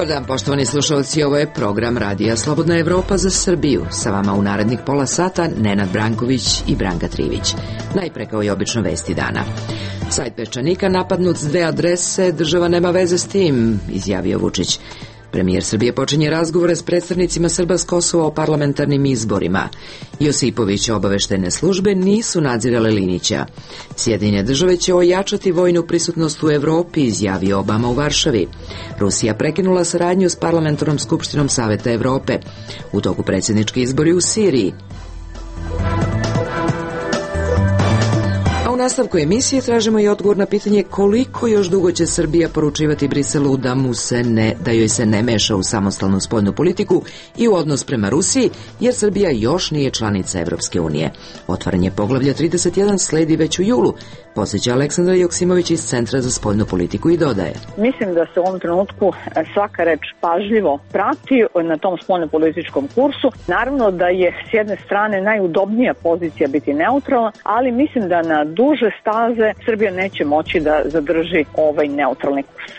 Dobar dan, poštovani slušalci, ovo je program Radija Slobodna Evropa za Srbiju. Sa vama u narednih pola sata Nenad Branković i Branka Trivić. Najpre kao i obično vesti dana. Sajt Peščanika napadnut s 2 adrese, država nema veze s tim, izjavio Vučić. Premijer Srbije počinje razgovore s predstavnicima Srba s Kosova o parlamentarnim izborima. Josipović obaveštajne službe nisu nadzirale Linića. Sjedinjene države će ojačati vojnu prisutnost u Evropi, izjavio Obama u Varšavi. Rusija prekinula saradnju s parlamentarnom skupštinom Saveta Evrope. U toku predsjednički izbori u Siriji. U nastavku emisije tražimo i odgovor na pitanje koliko još dugo će Srbija poručivati Briselu da joj se ne meša u samostalnu spoljnu politiku i u odnos prema Rusiji, jer Srbija još nije članica Evropske unije. Otvaranje poglavlja 31 sledi već u julu, podsjeća Aleksandra Joksimović iz Centra za spoljnu politiku i dodaje. Mislim da se u ovom trenutku svaka reč pažljivo prati na tom spoljnopolitičkom kursu. Naravno da je s jedne strane najudobnija pozicija biti neutralna, ali mislim da na duže staze Srbija neće moći da zadrži ovaj neutralni kurs.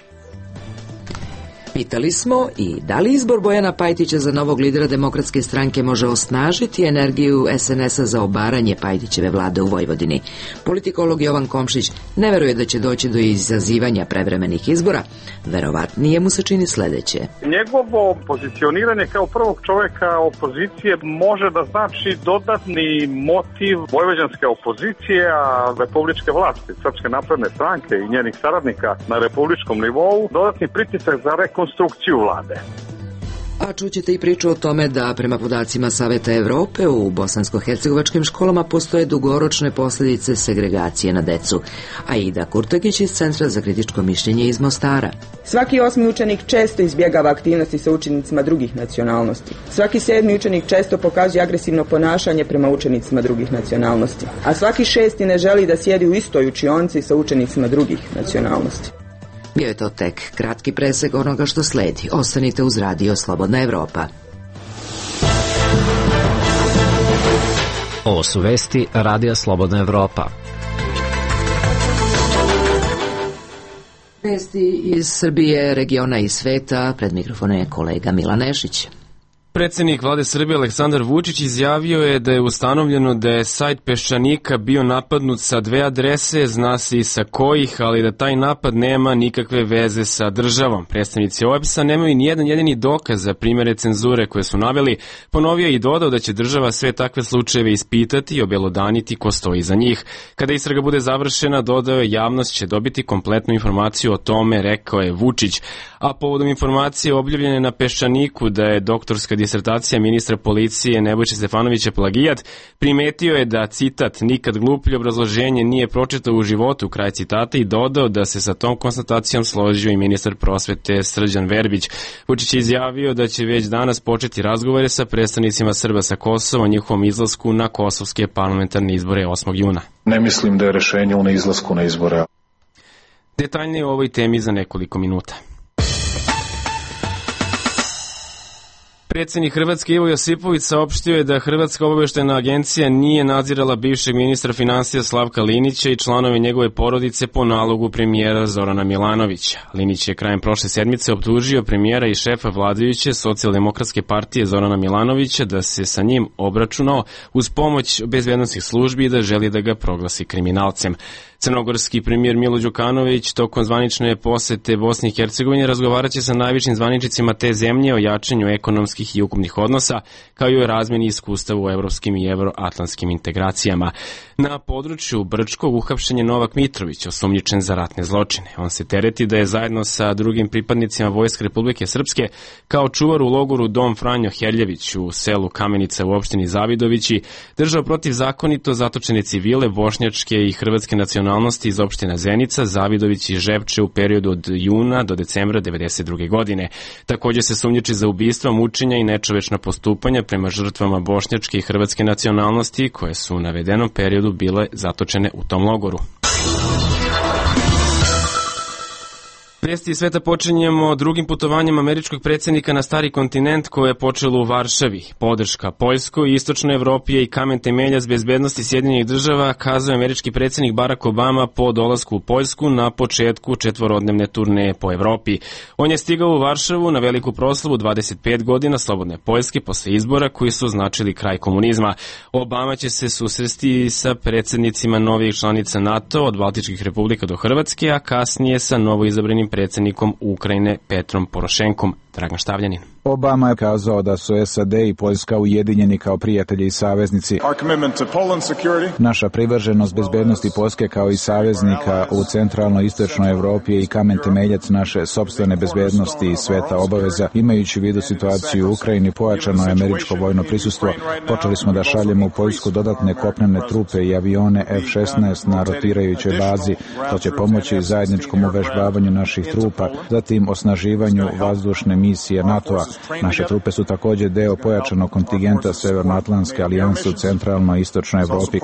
Pitali smo i da li izbor Bojana Pajtića za novog lidera Demokratske stranke može osnažiti energiju SNS-a za obaranje Pajtićeve vlade u Vojvodini. Politikolog Jovan Komšić ne veruje da će doći do izazivanja prevremenih izbora. Verovatnije mu se čini sledeće. Njegovo pozicioniranje kao prvog čoveka opozicije može da znači dodatni motiv vojvođanske opozicije, a republičke vlasti, Srpske napredne stranke i njenih saradnika na republičkom nivou, dodatni pritisak za rekonstrukciju vlade. A čućete i priču o tome da prema podacima Saveta Evrope u bosansko-hercegovačkim školama postoje dugoročne posljedice segregacije na decu. Aida Kurtagić iz Centra za kritičko mišljenje iz Mostara. Svaki 8. učenik često izbjegava aktivnosti sa učenicima drugih nacionalnosti. Svaki 7. učenik često pokazuje agresivno ponašanje prema učenicima drugih nacionalnosti. A svaki 6. ne želi da sjedi u istoj učionci sa učenicima drugih nacionalnosti. Bio je to tek kratki presek onoga što sledi. Ostanite uz Radio Slobodna Evropa. Ovo su vesti Radija Slobodna Evropa. Vesti iz Srbije, regiona i sveta. Pred mikrofonom je kolega Milan Nešić. Predsjednik vlade Srbije Aleksandar Vučić izjavio je da je ustanovljeno da je sajt Peščanika bio napadnut sa 2 adrese, zna se i sa kojih, ali da taj napad nema nikakve veze sa državom. Predstavnici OEBS-a nemaju ni jedan jedini dokaz za primjere cenzure koje su naveli, ponovio i dodao da će država sve takve slučajeve ispitati i obelodaniti ko stoji iza njih. Kada istraga bude završena, dodao je, javnost će dobiti kompletnu informaciju o tome, rekao je Vučić. A povodom informacije objavljene na Peščaniku da je doktorska disertacija ministra policije Nebojše Stefanovića plagijat, primetio je da, citat, nikad gluplje obrazloženje nije pročitao u životu, kraj citata, i dodao da se sa tom konstatacijom složio i ministar prosvete Srđan Verbić. Vučić je izjavio da će već danas početi razgovore sa predstavnicima Srba sa Kosova o njihovom izlasku na kosovske parlamentarne izbore 8. juna. Ne mislim da je rešenje u neizlasku na izbore. Detaljnije o ovoj temi za nekoliko minuta. Predsjednik Hrvatske Ivo Josipović saopštio je da Hrvatska obavještajna agencija nije nadzirala bivšeg ministra finansija Slavka Linića i članove njegove porodice po nalogu premijera Zorana Milanovića. Linić je krajem prošle sedmice optužio premijera i šefa vladajuće Socijaldemokratske partije Zorana Milanovića da se sa njim obračunao uz pomoć bezbednosnih službi i da želi da ga proglasi kriminalcem. Crnogorski premijer Milo Đukanović tokom zvanične posete Bosni i Hercegovine razgovaraće sa najvišim zvaničnicima te zemlje o jačanju ekonomskih i ukupnih odnosa, kao i o razmjeni iskustava u evropskim i evroatlantskim integracijama. Na području Brčkog uhapšen je Novak Mitrović, osumnjičen za ratne zločine. On se tereti da je zajedno sa drugim pripadnicima Vojske Republike Srpske kao čuvar u logoru Dom Franjo Herljević u selu Kamenica u opštini Zavidovići držao protivzakonito zatočene civile bošnjačke i hrvatske nacionalnosti iz opština Zenica, Zavidović i Žepče u periodu od juna do decembra 1992. godine. Također se sumnjiči za ubistva, mučenja i nečovečna postupanja prema žrtvama bošnjačke i hrvatske nacionalnosti koje su u navedenom periodu bile zatočene u tom logoru. Vesti iz sveta počinjemo drugim putovanjem američkog predsjednika na stari kontinent koje je počelo u Varšavi. Podrška Poljskoj i Istočnoj Evropi je i kamen temeljac bezbednosti Sjedinjenih država, kazao američki predsjednik Barack Obama po dolasku u Poljsku na početku četvorodnevne turneje po Evropi. On je stigao u Varšavu na veliku proslavu 25 godina slobodne Poljske posle izbora koji su označili kraj komunizma. Obama će se susresti sa predsjednicima novih članica NATO od Baltičkih republika do Hrvatske, a kasnije sa novoizabranim predsjednikom Ukrajine Petrom Porošenkom. Dragan Štavljanin. Obama je kazao da su SAD i Poljska ujedinjeni kao prijatelji i saveznici. Naša privrženost bezbednosti Poljske kao i saveznika u centralnoj istočnoj Evropi je i kamen temeljac naše sopstvene bezbednosti i sveta obaveza. Imajući u vidu situaciju u Ukrajini, pojačano je američko vojno prisustvo. Počeli smo da šaljemo u Poljsku dodatne kopnene trupe i avione F-16 na rotirajućoj bazi. To će pomoći zajedničkom uvežbavanju naših trupa, zatim osnaživanju vazdušne misije NATO-a. Naše trupe su također deo pojačanog kontingenta Severnoatlantske alijanse u centralnoj i istočnoj Evropi.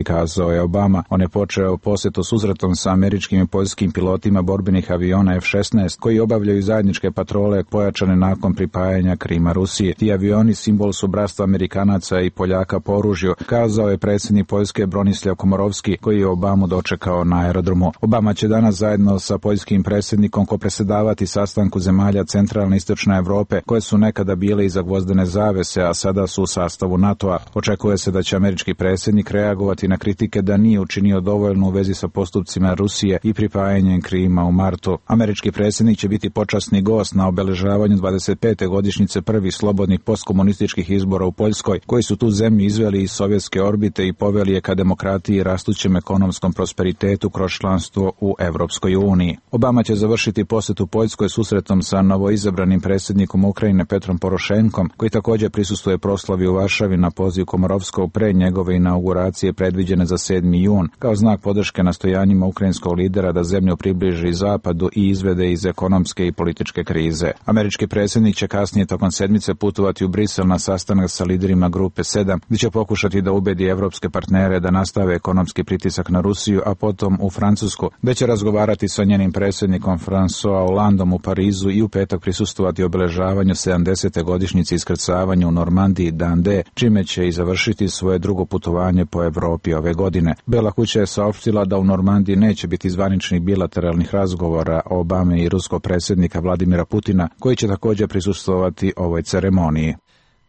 Kazao je Obama. On je počeo posjetu susretom sa američkim i poljskim pilotima borbenih aviona F-16 koji obavljaju zajedničke patrole pojačane nakon pripajanja Krima Rusiji. Ti avioni simbol su bratstva Amerikanaca i Poljaka po oružju, kazao je predsjednik Poljske Bronislav Komorovski koji je Obamu dočekao na aerodromu. Obama će danas zajedno sa poljskim predsjednikom predsjedavati sastanku zemalja centralne i istočne Evrope koje su nekada bile iza gvozdene zavese, a sada su u sastavu NATO-a. Očekuje se da će američki predsjednik reagovati na kritike da nije učinio dovoljno u vezi sa postupcima Rusije i pripajanjem Krima u martu. Američki predsjednik će biti počasni gost na obeležavanju 25. godišnjice prvih slobodnih postkomunističkih izbora u Poljskoj, koji su tu zemlju izveli iz sovjetske orbite i poveli je ka demokratiji i rastućem ekonomskom prosperitetu kroz članstvo u Evropskoj uniji. Obama će završiti posjetu Poljskoj susretom sa novoizabranim predsjednikom Ukrajine Petrom Porošenkom, koji također prisustvuje proslavi u Varšavi na poziv Komorovskog pre njegove inauguracije predviđene za 7. jun, kao znak podrške nastojanjima ukrajinskog lidera da zemlju približi zapadu i izvede iz ekonomske i političke krize. Američki predsjednik će kasnije tokom sedmice putovati u Brisel na sastanak sa liderima grupe 7, gdje će pokušati da ubedi evropske partnere da nastave ekonomski pritisak na Rusiju, a potom u Francusku, gdje će razgovarati sa njenim predsjednikom François Hollandom u Parizu i u petak prisustvovati obeležavanju 70. godišnjice iskrcavanja u Normandiji Dan D, čime će i završiti svoje drugo putovanje po Evropi ove godine. Bela kuća je saopštila da u Normandiji neće biti zvaničnih bilateralnih razgovora Obame i ruskog predsjednika Vladimira Putina, koji će također prisustvovati ovoj ceremoniji.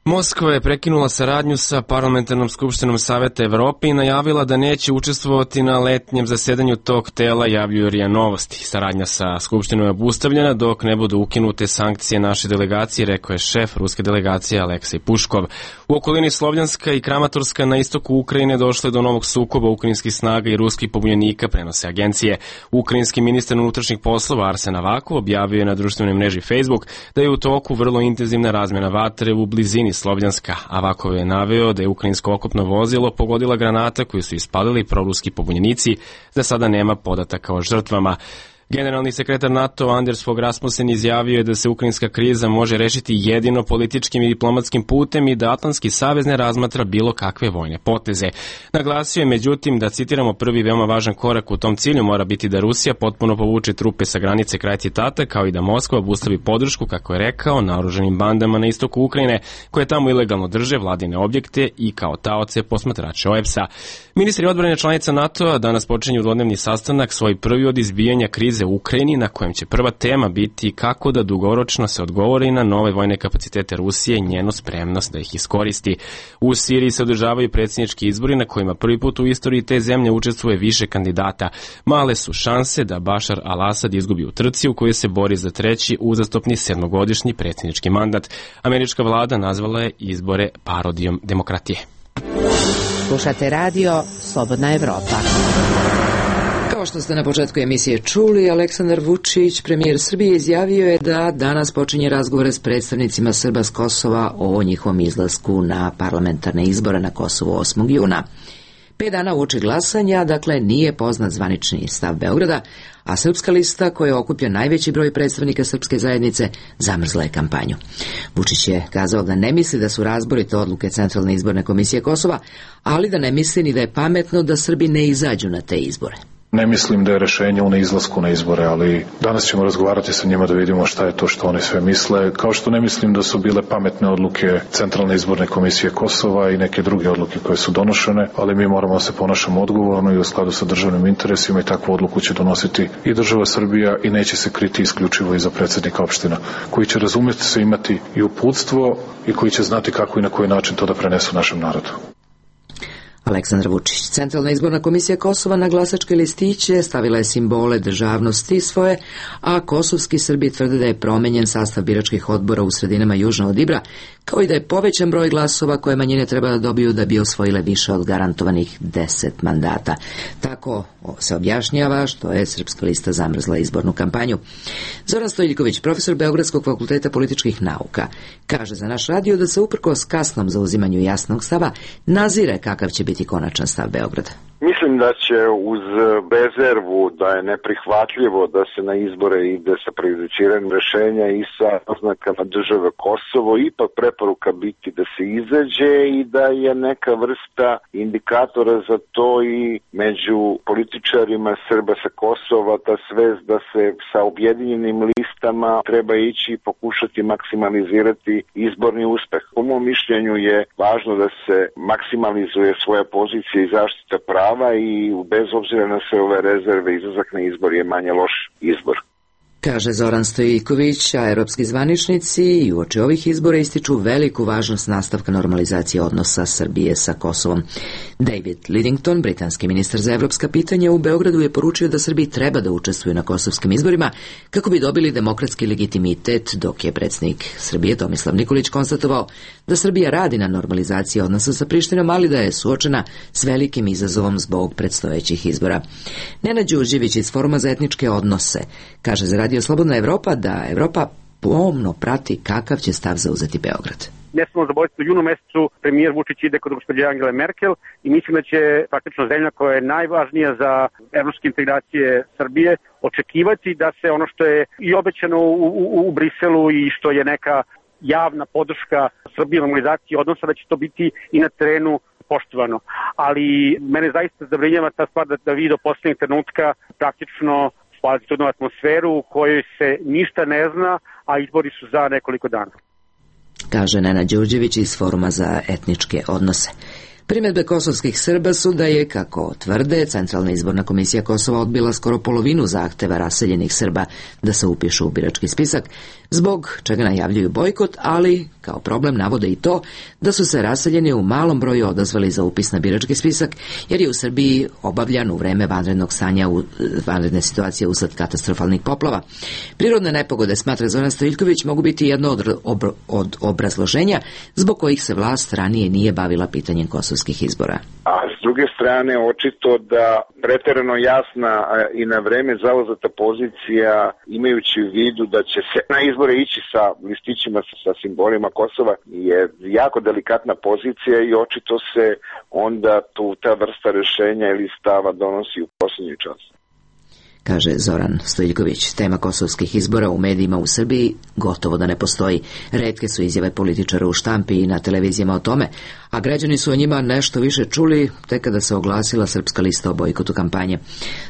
Moskva je prekinula saradnju sa Parlamentarnom skupštinom Saveta Evrope i najavila da neće učestvovati na letnjem zasedanju tog tela, javljuju RIA Novosti. Saradnja sa skupštinom je obustavljena dok ne budu ukinute sankcije naše delegacije, rekao je šef ruske delegacije Aleksej Puškov. U okolini Slovljanska i Kramatorska na istoku Ukrajine došlo je do novog sukoba ukrajinskih snaga i ruskih pobunjenika, prenose agencije. Ukrajinski ministar unutrašnjih poslova Arsen Avakov objavio je na društvenoj mreži Facebook da je u toku vrlo intenzivna razmjena vatre u blizini Slovljanska. Avakov je naveo da je ukrajinsko okopno vozilo pogodila granata koju su ispalili proruski pobunjenici, za sada nema podataka o žrtvama. Generalni sekretar NATO Anders Fogh Rasmussen izjavio je da se ukrajinska kriza može rešiti jedino političkim i diplomatskim putem i da Atlantski savez ne razmatra bilo kakve vojne poteze. Naglasio je međutim da, citiramo, prvi veoma važan korak u tom cilju mora biti da Rusija potpuno povuče trupe sa granice, kraj citata, kao i da Moskva obustavi podršku, kako je rekao, naoružanim bandama na istoku Ukrajine koje tamo ilegalno drže vladine objekte i kao taoce posmatrače OEBS-a. Ministri odbrane članica NATO-a danas počinju dvodnevni sastanak, svoj prvi od izbijanja krize u Ukrajini, na kojem će prva tema biti kako da dugoročno se odgovori na nove vojne kapacitete Rusije i njenu spremnost da ih iskoristi. U Siriji se održavaju predsjednički izbori na kojima prvi put u istoriji te zemlje učestvuje više kandidata. Male su šanse da Bašar al-Asad izgubi u trci u kojoj se bori za treći uzastopni 7-godišnji predsjednički mandat. Američka vlada nazvala je izbore parodijom demokratije. Slušate radio Slobodna Evropa. Kao što ste na početku emisije čuli, Aleksandar Vučić, premijer Srbije, izjavio je da danas počinje razgovore s predstavnicima Srba s Kosova o njihovom izlasku na parlamentarne izbore na Kosovu 8. juna. 5 dana uoči glasanja, dakle, nije poznat zvanični stav Beograda, a Srpska lista, koja okuplja najveći broj predstavnika srpske zajednice, zamrzla je kampanju. Vučić je kazao da ne misli da su razborite odluke Centralne izborne komisije Kosova, ali da ne misli ni da je pametno da Srbi ne izađu na te izbore. Ne mislim da je rešenje u neizlasku na izbore, ali danas ćemo razgovarati sa njima da vidimo šta je to što oni sve misle, kao što ne mislim da su bile pametne odluke Centralne izborne komisije Kosova i neke druge odluke koje su donošene, ali mi moramo da se ponašamo odgovorno i u skladu sa državnim interesima i takvu odluku će donositi i država Srbija i neće se kriti isključivo iza predsjednika opština, koji će razumjeti se imati i uputstvo i koji će znati kako i na koji način to da prenesu našem narodu. Aleksandar Vučić. Centralna izborna komisija Kosova na glasačke listiće stavila je simbole državnosti svoje, a kosovski Srbi tvrde da je promenjen sastav biračkih odbora u sredinama južno od Ibra, kao i da je povećan broj glasova koje manjine treba da dobiju da bi osvojile više od garantovanih 10 mandata. Tako se objašnjava što je Srpska lista zamrzla izbornu kampanju. Zoran Stojiljković, profesor Beogradskog fakulteta političkih nauka, kaže za naš radio da se uprkos kasnom zauzimanju jasnog stava nazire kakav će biti konačan stav Beograda. Mislim da će uz rezervu da je neprihvatljivo da se na izbore ide sa prejudiciranjem rešenja i sa oznakama države Kosovo, ipak preporuka biti da se izađe i da je neka vrsta indikatora za to i među političarima Srba sa Kosova, ta svest da se sa objedinjenim listama treba ići i pokušati maksimalizirati izborni uspeh. Po mom mišljenju je važno da se maksimalizuje svoja pozicija i zaštita prava i bez obzira na sve ove rezerve izlazak na izbor je manje loš izbor. Kaže Zoran Stojiljković, a europski zvaničnici i uoči ovih izbora ističu veliku važnost nastavka normalizacije odnosa Srbije sa Kosovom. David Lidington, britanski ministar za evropska pitanja, u Beogradu je poručio da Srbiji treba da učestvuju na kosovskim izborima kako bi dobili demokratski legitimitet, dok je predsjednik Srbije Tomislav Nikolić konstatovao da Srbija radi na normalizaciji odnosa sa Prištinom, ali da je suočena s velikim izazovom zbog predstojećih izbora. Nenad Đurđević iz Foruma za etničke odnose kaže za Radio Slobodna Evropa da Evropa pomno prati kakav će stav zauzeti Beograd. Ne smemo zaboraviti, u junu mesecu premijer Vučić ide kod gospođe Angele Merkel i mislim da će praktično zemlja koja je najvažnija za evropske integracije Srbije očekivati da se ono što je i obećano u Briselu i što je neka javna podrška Srbije normalizaciji odnosa, da će to biti i na terenu poštovano. Ali mene zaista zabrinjava ta stvar da vi do posljednjeg trenutka praktično spaliti jednu atmosferu u kojoj se ništa ne zna, a izbori su za nekoliko dana. Kaže Nenad Đurđević iz Foruma za etničke odnose. Primjedbe kosovskih Srba su da je, kako tvrde, Centralna izborna komisija Kosova odbila skoro polovinu zahteva raseljenih Srba da se upišu u birački spisak, zbog čega najavljuju bojkot, ali kao problem navode i to da su se raseljeni u malom broju odazvali za upis na birački spisak, jer je u Srbiji obavljan u vreme vanrednog stanja, vanredne situacije usled katastrofalnih poplava. Prirodne nepogode, smatra Zoran Stojiljković, mogu biti jedno od obrazloženja zbog kojih se vlast ranije nije bavila pitanjem kosovskih izbora. A s druge strane, očito da preterano jasna i na vreme zauzeta pozicija, imajući u vidu da će se na izbore ići sa listićima sa simbolima Kosova, je jako delikatna pozicija i očito se onda ta vrsta rešenja ili stava donosi u posljednji čas. Kaže Zoran Stojiljković. Tema kosovskih izbora u medijima u Srbiji gotovo da ne postoji. Retke su izjave političara u štampi i na televizijama o tome, a građani su o njima nešto više čuli tek kada se oglasila Srpska lista o bojkotu kampanje.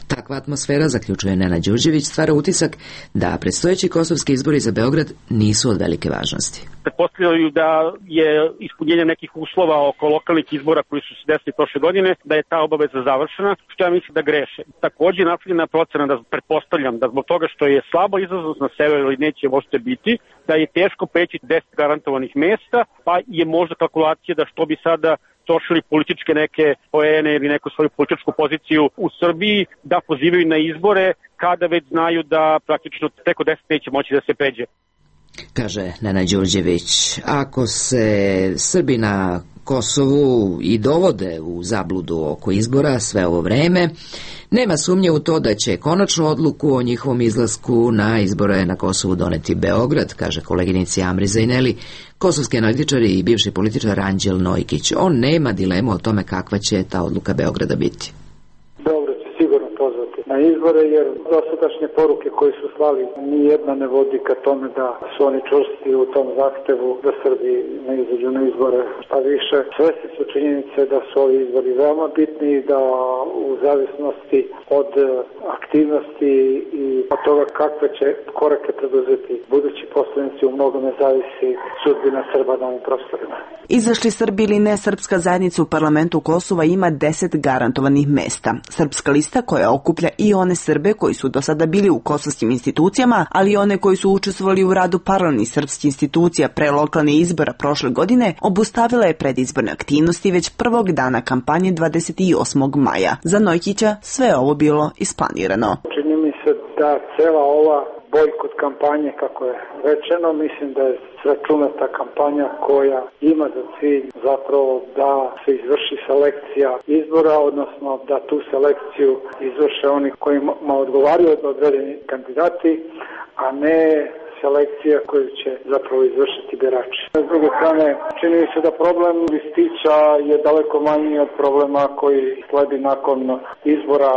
Takva atmosfera, zaključuje Nenad Đurđević, stvara utisak da predstojeći kosovski izbori za Beograd nisu od velike važnosti. Pretpostavljaju da je ispunjenje nekih uslova oko lokalnih izbora koji su se desili prošle godine, da je ta obaveza završena, što ja mislim da greše. Također napravljena procena, da pretpostavljam da zbog toga što je slaba izlaznost na sever ili neće možete biti, da je teško preći 10 garantovanih mesta, pa je možda kalkulacija da što bi sada trošili političke neke poene ili neku svoju političku poziciju u Srbiji, da pozivaju na izbore kada već znaju da praktično preko 10 neće moći da se pređe. Kaže Nenad Đurđević, ako se Srbi na Kosovu i dovode u zabludu oko izbora sve ovo vreme, nema sumnje u to da će konačnu odluku o njihovom izlasku na izbore na Kosovu doneti Beograd, kaže koleginici Amri Zajneli, kosovski analitičar i bivši političar Anđel Nojkić. On nema dilemu o tome kakva će ta odluka Beograda biti. Beograd će sigurno pozvati na izbore, jer dosadašnje poruke koje su slali nijedna ne vodi ka tome da su oni čvrsti u tom zahtevu da Srbi ne izađu na izbore. Šta više, svesni su činjenice da su ovi izbori veoma bitni i da u zavisnosti od aktivnosti i od toga kakve će korake preduzeti budući poslanici u mnogome zavisi sudbina Srba na ovim prostorima. Izašli Srbi ili ne, srpska zajednica u parlamentu Kosova ima 10 garantovanih mesta. Srpska lista, koja okuplja i one Srbe koji su do sada bili u kosovskim institucijama, ali i one koji su učestvovali u radu paralelnih srpskih institucija pre lokalnih izbora prošle godine, obustavila je predizborne aktivnosti već prvog dana kampanje 28. maja. Za Nojkića sve je ovo bilo isplanirano. Čini mi se da cela ova bojkot kampanje, kako je rečeno, mislim da je sračunata kampanja koja ima za cilj zapravo da se izvrši selekcija izbora, odnosno da tu selekciju izvrše oni kojima odgovaraju određeni kandidati, a ne selekcija koju će zapravo izvršiti birači. S druge strane, čini mi se da problem listića je daleko manji od problema koji sledi nakon izbora.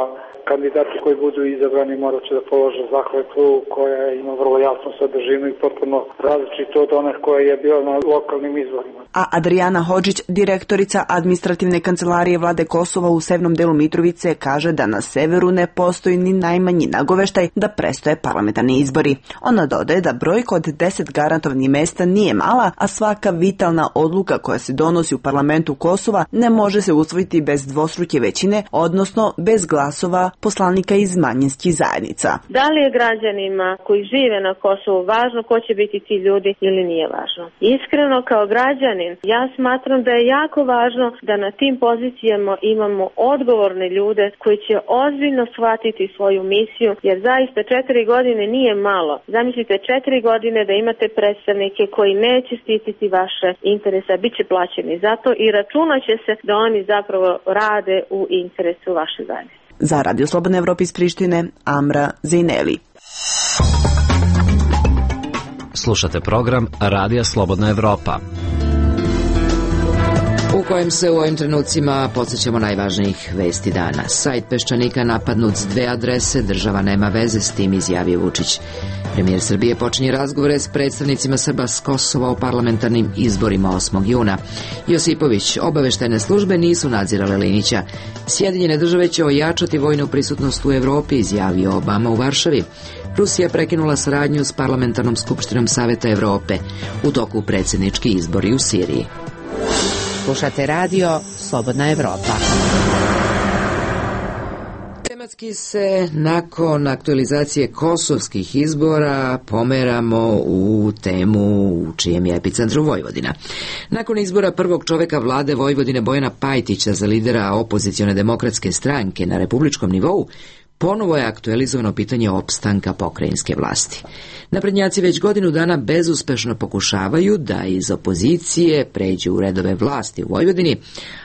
Kandidati koji budu izabrani morat će da polože zakletvu koja ima vrlo jasnu sadržinu i potpuno različito od one koja je bila na lokalnim izborima. A Adriana Hodžić, direktorica administrativne kancelarije vlade Kosova u severnom delu Mitrovice, kaže da na severu ne postoji ni najmanji nagoveštaj da prestoje parlamentarni izbori. Ona dodaje da brojka od 10 garantovanih mesta nije mala, a svaka vitalna odluka koja se donosi u parlamentu Kosova ne može se usvojiti bez dvostruke većine, odnosno bez glasova poslanika iz manjinskih zajednica. Da li je građanima koji žive na Kosovu važno ko će biti ti ljudi ili nije važno? Iskreno, kao građanin, ja smatram da je jako važno da na tim pozicijama imamo odgovorne ljude koji će ozbiljno shvatiti svoju misiju, jer zaista 4 godine nije malo. Zamislite 4 godine da imate predstavnike koji neće štititi vaše interese, bit će plaćeni zato i računaće se da oni zapravo rade u interesu vaše zajednice. Za Radio Slobodna Evropa iz Prištine, Amra Zejneli. Slušate program Radija Slobodna Evropa, u kojem se u ovim trenucima podsjećamo najvažnijih vesti dana. Sajt Peščanika napadnut s 2 adrese, država nema veze s tim, izjavio Vučić. Premijer Srbije počinje razgovore s predstavnicima Srba s Kosova o parlamentarnim izborima 8. juna. Josipović, obaveštajne službe nisu nadzirale Linića. Sjedinjene države će ojačati vojnu prisutnost u Evropi, izjavio Obama u Varšavi. Rusija prekinula saradnju s parlamentarnom skupštinom Saveta Evrope. U toku predsjednički izbori u Siriji. Slušate radio Slobodna Evropa. Tematski se nakon aktualizacije kosovskih izbora pomeramo u temu u čijem je epicentru Vojvodina. Nakon izbora prvog čoveka vlade Vojvodine Bojana Pajtića za lidera opozicione demokratske stranke na republičkom nivou, ponovo je aktualizovano pitanje opstanka pokrajinske vlasti. Naprednjaci već godinu dana bezuspešno pokušavaju da iz opozicije pređu u redove vlasti u Vojvodini,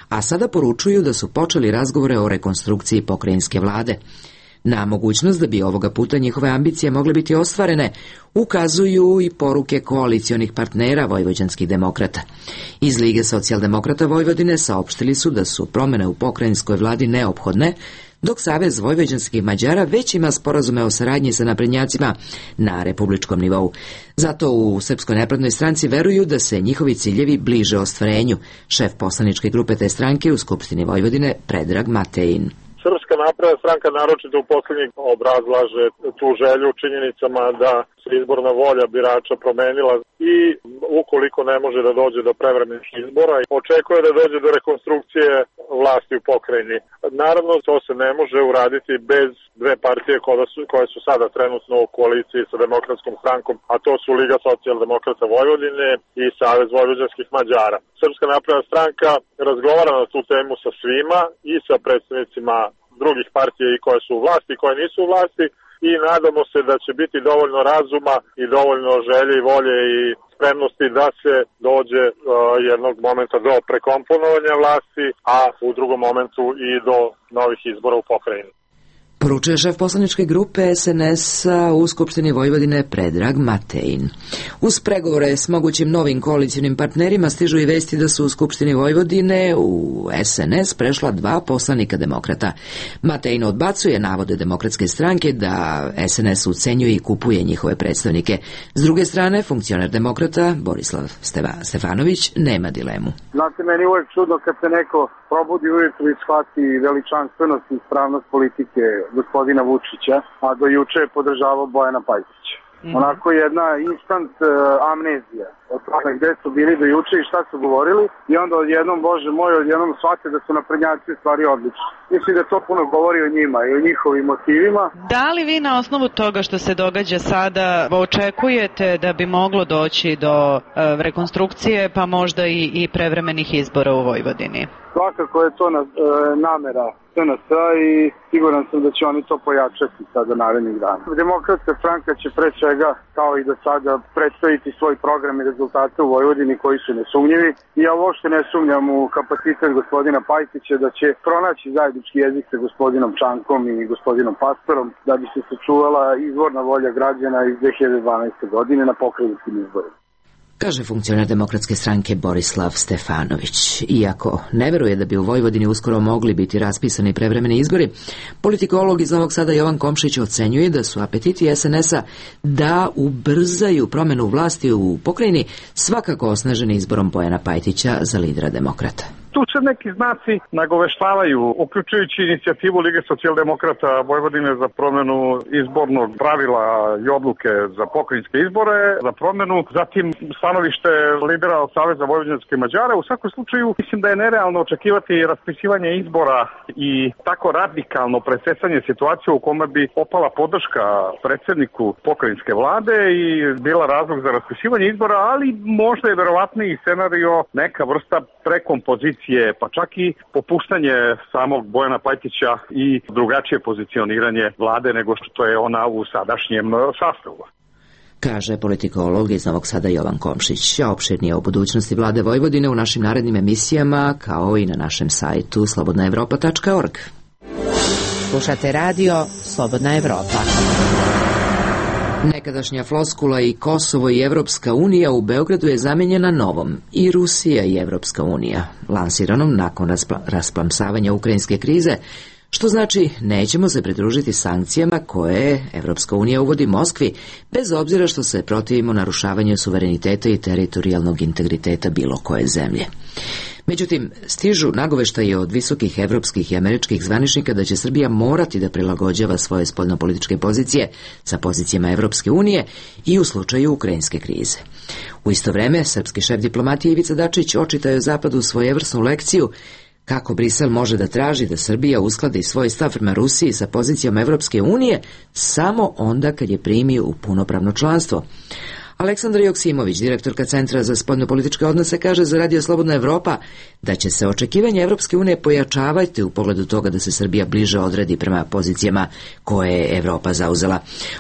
a sada poručuju da su počeli razgovore o rekonstrukciji pokrajinske vlade. Na mogućnost da bi ovoga puta njihove ambicije mogle biti ostvarene ukazuju i poruke koalicionih partnera vojvođanskih demokrata. Iz Lige socijaldemokrata Vojvodine saopštili su da su promene u pokrajinskoj vladi neophodne, dok Savez vojvođanskih Mađara već ima sporazume o saradnji sa naprednjacima na republičkom nivou. Zato u Srpskoj naprednoj stranci veruju da se njihovi ciljevi bliže ostvarenju. Šef poslaničke grupe te stranke u Skupštini Vojvodine Predrag Matejin. Srpska napredna stranka naročito u poslednjih obrazlaže tu želju činjenicama da se izborna volja birača promenila i ukoliko ne može da dođe do prevremenih izbora, očekuje da dođe do rekonstrukcije vlasti u pokrajini. Naravno, to se ne može uraditi bez dve partije koje su sada trenutno u koaliciji sa Demokratskom strankom, a to su Liga socijaldemokrata Vojvodine i Savez vojvođanskih Mađara. Srpska napredna stranka razgovara na tu temu sa svima i sa predstavnicima drugih partija i koje su u vlasti i koje nisu u vlasti i nadamo se da će biti dovoljno razuma i dovoljno želje i volje i spremnosti da se dođe jednog momenta do prekomponovanja vlasti, a u drugom momentu i do novih izbora u pokrajini. Poručuje šef poslaničke grupe SNS-a u Skupštini Vojvodine Predrag Matejin. Uz pregovore s mogućim novim koalicijnim partnerima stižu i vesti da su u Skupštini Vojvodine u SNS prešla 2 poslanika demokrata. Matejin odbacuje navode Demokratske stranke da SNS ucenjuje i kupuje njihove predstavnike. S druge strane, funkcioner demokrata Borislav Stefanović nema dilemu. Znate, meni uvek čudno kad se neko probudi ujutru i shvati veličanstvenost i ispravnost politike gospodina Vučića, a do juče je podržavao Bojana Pajtića. Onako jedna instant amnezija od toga gde su bili do juče i šta su govorili i onda odjednom, Bože moj, odjednom shvate da su naprednjaci u stvari odlični. Mislim da to puno govori o njima i o njihovim motivima. Da li vi na osnovu toga što se događa sada očekujete da bi moglo doći do rekonstrukcije pa možda i prevremenih izbora u Vojvodini? Svakako je to namera SNS i siguran sam da će oni to pojačati sada narednih dana. Demokratska stranka će pre svega, kao i do sada, predstaviti svoj program i rezultate u Vojvodini koji su nesumnjivi. I ja uopšte ne sumnjam u kapacitet gospodina Pajtića da će pronaći zajednički jezik sa gospodinom Čankom i gospodinom Pastorom da bi se sačuvala izvorna volja građana iz 2012. godine na pokrajinskim izborima. Kaže funkcioner Demokratske stranke Borislav Stefanović. Iako ne veruje da bi u Vojvodini uskoro mogli biti raspisani prevremeni izbori, politikolog iz Novog Sada Jovan Komšić ocenjuje da su apetiti SNS-a da ubrzaju promenu vlasti u pokrajini svakako osnaženi izborom Bojana Pajtića za lidera demokrata. Tu se neki znaci nagoveštavaju, uključujući inicijativu Lige socijaldemokrata Vojvodine za promenu izbornog pravila i odluke za pokrajinske izbore, za promenu, zatim stanovište lidera od Saveza vojvođanske Mađara. U svakom slučaju mislim da je nerealno očekivati raspisivanje izbora i tako radikalno presecanje situacije u kome bi opala podrška predsjedniku pokrajinske vlade i bila razlog za raspisivanje izbora, ali možda je verovatniji scenario neka vrsta prekompozicije, pa čak i popuštanje samog Bojana Pajtića i drugačije pozicioniranje vlade nego što je ona u sadašnjem sastavu. Kaže politikolog iz Novog Sada Jovan Komšić. A opširnije o budućnosti vlade Vojvodine u našim narednim emisijama, kao i na našem sajtu slobodnaevropa.org. Slušate radio Slobodna Evropa. Nekadašnja floskula i Kosovo i Evropska unija u Beogradu je zamenjena novom i Rusija i Evropska unija, lansiranom nakon rasplamsavanja ukrajinske krize, što znači nećemo se pridružiti sankcijama koje Evropska unija uvodi Moskvi, bez obzira što se protivimo narušavanju suvereniteta i teritorijalnog integriteta bilo koje zemlje. Međutim, stižu nagoveštaje od visokih evropskih i američkih zvaničnika da će Srbija morati da prilagođava svoje spoljnopolitičke pozicije sa pozicijama Evropske unije i u slučaju ukrajinske krize. U isto vreme, srpski šef diplomatije Ivica Dačić očitao je Zapadu svojevrsnu lekciju kako Brisel može da traži da Srbija uskladi svoj stav prema Rusiji sa pozicijom Evropske unije samo onda kad je primi u punopravno članstvo. Aleksandra Joksimović, direktorka Centra za spoljnopolitičke odnose, kaže za Radio Slobodna Evropa da će se očekivanje Evropske unije pojačavati u pogledu toga da se Srbija bliže odredi prema pozicijama koje je Evropa zauzela.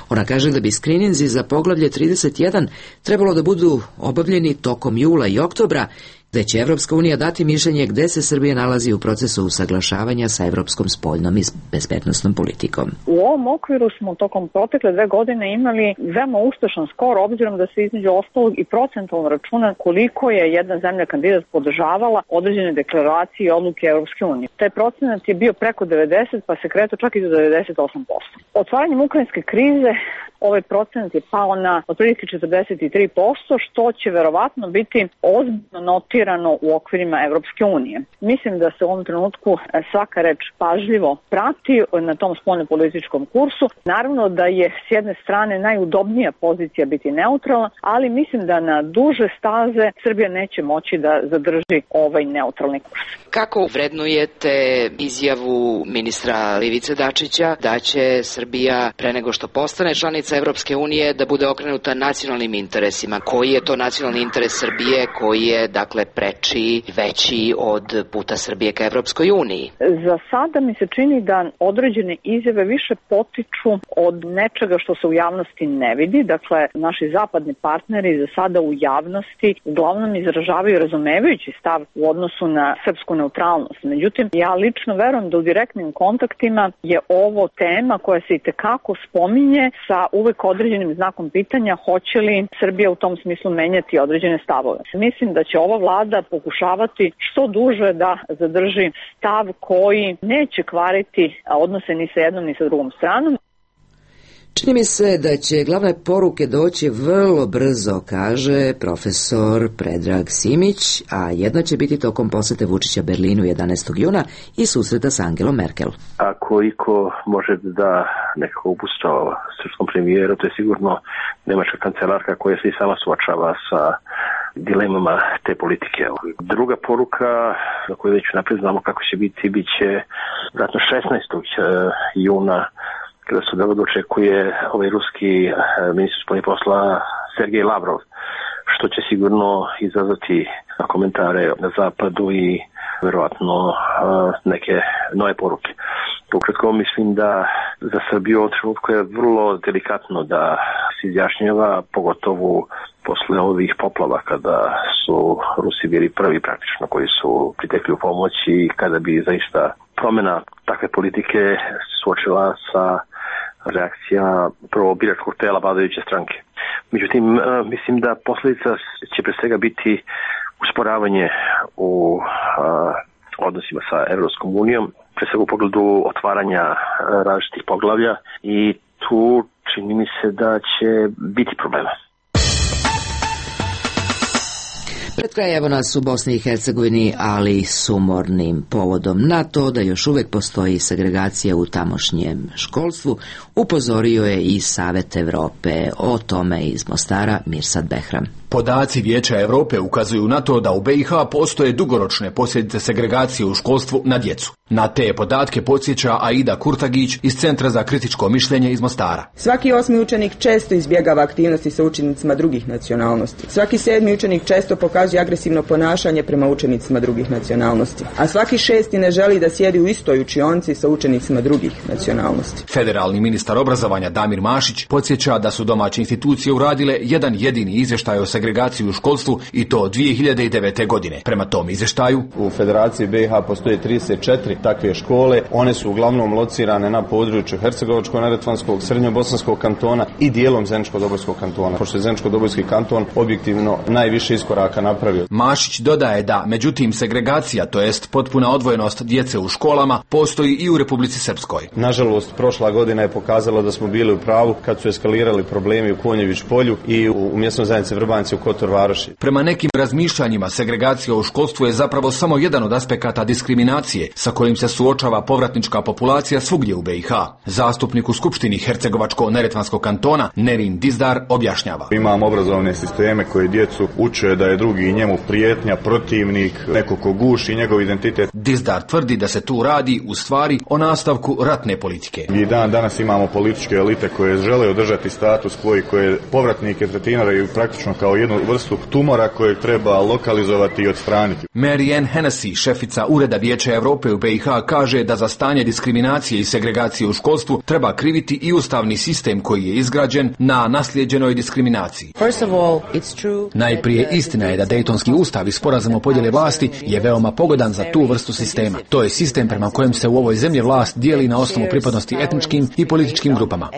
Ona kaže da bi skrininzi za poglavlje 31 trebalo da budu obavljeni tokom jula i oktobra, gde će Evropska unija dati mišljenje gde se Srbija nalazi u procesu usaglašavanja sa evropskom spoljnom i bezbednosnom politikom. U ovom okviru smo tokom protekle 2 godine imali veoma uspešan skor, obzirom da se između ostalog i procentalno računa koliko je jedna zemlja kandidat podržavala određene deklaracije i odluke Evropske unije. Taj procenat je bio preko 90, pa se kretao čak i do 98%. Otvaranjem ukrajinske krize ovaj procenat je pao na otprilike 43%, što će verovatno biti ozbiljno notirano u okvirima Evropske unije. Mislim da se u ovom trenutku svaka reč pažljivo prati na tom spoljnopolitičkom kursu. Naravno da je s jedne strane najudobnija pozicija biti neutralna, ali mislim da na duže staze Srbija neće moći da zadrži ovaj neutralni kurs. Kako vrednujete izjavu ministra Ivice Dačića da će Srbija pre nego što postane članica Evropske unije da bude okrenuta nacionalnim interesima? Koji je to nacionalni interes Srbije koji je, dakle, preči, veći od puta Srbije ka Evropskoj uniji? Za sada mi se čini da određene izjave više potiču od nečega što se u javnosti ne vidi. Dakle, naši zapadni partneri za sada u javnosti uglavnom izražavaju razumevajući stav u odnosu na srpsku neutralnost. Međutim, ja lično verujem da u direktnim kontaktima je ovo tema koja se itekako spominje sa uvek određenim znakom pitanja hoće li Srbija u tom smislu menjati određene stavove. Mislim da će ova vlada pokušavati što duže da zadrži stav koji neće kvariti odnose ni sa jednom ni sa drugom stranom. Čini mi se da će glavne poruke doći vrlo brzo, kaže profesor Predrag Simić, a jedna će biti tokom posete Vučića Berlinu 11. juna i susreta s Angelom Merkel. Ako iko može da nekako upusta srpskom premijeru, to je sigurno nemačka kancelarka koja se i sama suočava sa dilemama te politike. Druga poruka, za koju već napred znamo kako će biti, bit će vratno 16. juna, kada se dočekuje ruski ministar spoljnih posla Sergej Lavrov, što će sigurno izazvati komentare na zapadu i verovatno neke nove poruke. Ukratko mislim da za Srbiju u trenutku je vrlo delikatno da se izjašnjava, pogotovo posle ovih poplava kada su Rusi bili prvi praktično koji su pritekli u pomoć i kada bi zaista promjena takve politike suočila sa reakcija prvo biračkog tela vladajuće stranke. Međutim, mislim da posljedica će pre svega biti usporavanje u odnosima sa Evropskom unijom, pre svega u pogledu otvaranja različitih poglavlja i tu čini mi se da će biti problema. Pred kraj evo nas u Bosni i Hercegovini, ali sumornim povodom na to da još uvek postoji segregacija u tamošnjem školstvu, upozorio je i Savet Evrope. O tome iz Mostara Mirsad Behram. Podaci Vijeća Europe ukazuju na to da u BiH postoje dugoročne posljedice segregacije u školstvu na djecu. Na te podatke podsjeća Aida Kurtagić iz Centra za kritičko mišljenje iz Mostara. Svaki 8. učenik često izbjegava aktivnosti sa učenicima drugih nacionalnosti. Svaki 7. učenik često pokazuje agresivno ponašanje prema učenicima drugih nacionalnosti. A svaki 6. ne želi da sjedi u istoj učionci sa učenicima drugih nacionalnosti. Federalni ministar obrazovanja Damir Mašić podsjeća da su domaće institucije uradile jedan jedini izvještaj o segregaciji u školstvu i to 2009. godine. Prema tom izvještaju u Federaciji BiH postoje 34 takve škole. One su uglavnom locirane na području Hercegovačko-neretvanskog, Srednjobosanskog kantona i dijelom Zeničko-Dobojskog kantona. Pošto je Zeničko-Dobojski kanton objektivno najviše iskoraka napravio. Mašić dodaje da, međutim, segregacija, to jest potpuna odvojenost djece u školama, postoji i u Republici Srpskoj. Nažalost, prošla godina je pokazala da smo bili u pravu kad su eskalirali problemi u Konjević polju i u mjesnoj zajednici Vrbanci u Kotor Varoši. Prema nekim razmišljanjima, segregacija u školstvu je zapravo samo jedan od aspekata diskriminacije sa kojim se suočava povratnička populacija svugdje u BiH. Zastupnik u Skupštini Hercegovačko-neretvanskog kantona Nerin Dizdar objašnjava. Imamo obrazovne sisteme koje djecu uče da je drugi njemu prijetnja, protivnik, neko ko guši njegov identitet. Dizdar tvrdi da se tu radi u stvari o nastavku ratne politike. Mi danas imamo političke elite koje žele održati status quo i koje povratnike tretiraju praktično kao jednu vrstu tumora kojeg treba lokalizovati i odstraniti. Marianne Hennessy, šefica Ureda Vijeća Europe u BiH, kaže da za stanje diskriminacije i segregacije u školstvu treba kriviti i ustavni sistem koji je izgrađen na naslijeđenoj diskriminaciji. Najprije istina je da Dejtonski ustav i sporazum o podjeli vlasti je veoma pogodan za tu vrstu sistema. To je sistem prema kojem se u ovoj zemlji vlast dijeli na osnovu pripadnosti etničkim i političkim grupama.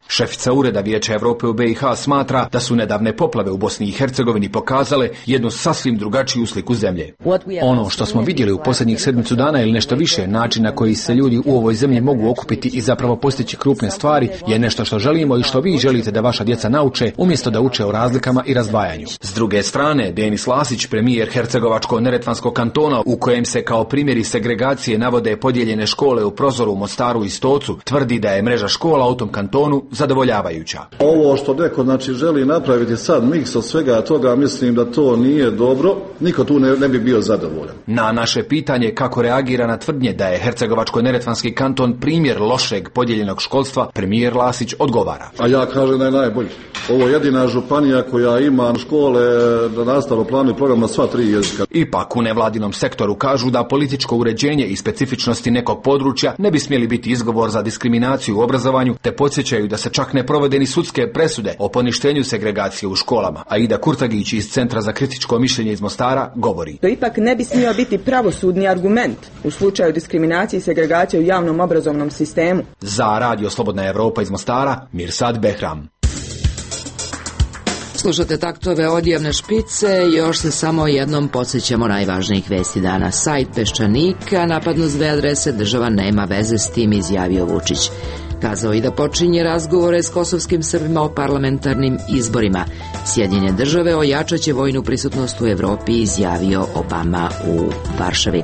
Šefica Ureda Vijeća Europe u BiH smatra da su nedavne poplave u Bosni i Hercegovini pokazale jednu sasvim drugačiju sliku zemlje. Ono što smo vidjeli u posljednjih sedmicu dana ili nešto više, način na koji se ljudi u ovoj zemlji mogu okupiti i zapravo postići krupne stvari, je nešto što želimo i što vi želite da vaša djeca nauče, umjesto da uče o razlikama i razdvajanju. S druge strane, Denis Lasić, premijer Hercegovačko-neretvanskog kantona, u kojem se kao primjeri segregacije navode podijeljene škole u Prozoru, Mostaru i Stocu, tvrdi da je mreža škola u tom kantonu zadovoljavajuća. Ovo što neko želi napraviti sad miks od svega toga, mislim da to nije dobro. Niko tu ne bi bio zadovoljan. Na naše pitanje kako reagira na tvrdnje da je Hercegovačko-neretvanski kanton primjer lošeg podijeljenog školstva, premijer Lasić odgovara. A ja kažem da je najbolji. Ovo je jedina županija koja ima škole na nastavnom planu i program na sva 3 jezika. Ipak u nevladinom sektoru kažu da političko uređenje i specifičnosti nekog područja ne bi smjeli biti izgovor za diskriminaciju u obrazovanju, te podsjećaju da se čak ne provode ni sudske presude o poništenju segregacije u školama. Aida Kurtagić iz Centra za kritičko mišljenje iz Mostara govori. To ipak ne bi smio biti pravosudni argument u slučaju diskriminacije i segregacije u javnom obrazovnom sistemu. Za Radio Slobodna Evropa iz Mostara, Mirsad Behram. Slušate taktove odjevne špice, još se samo jednom podsjećamo najvažnijih vesti dana. Sajt Peščanika napadnu s 2 adrese, država nema veze s tim, izjavio Vučić. Kazao i da počinje razgovore s kosovskim Srbima o parlamentarnim izborima. Sjedinjene države ojačaće vojnu prisutnost u Evropi, izjavio Obama u Varšavi.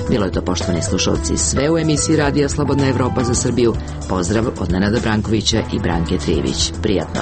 Bilo je to, poštovani slušalci, sve u emisiji Radija Slobodna Evropa za Srbiju. Pozdrav od Nenada Brankovića i Branke Trivić. Prijatno.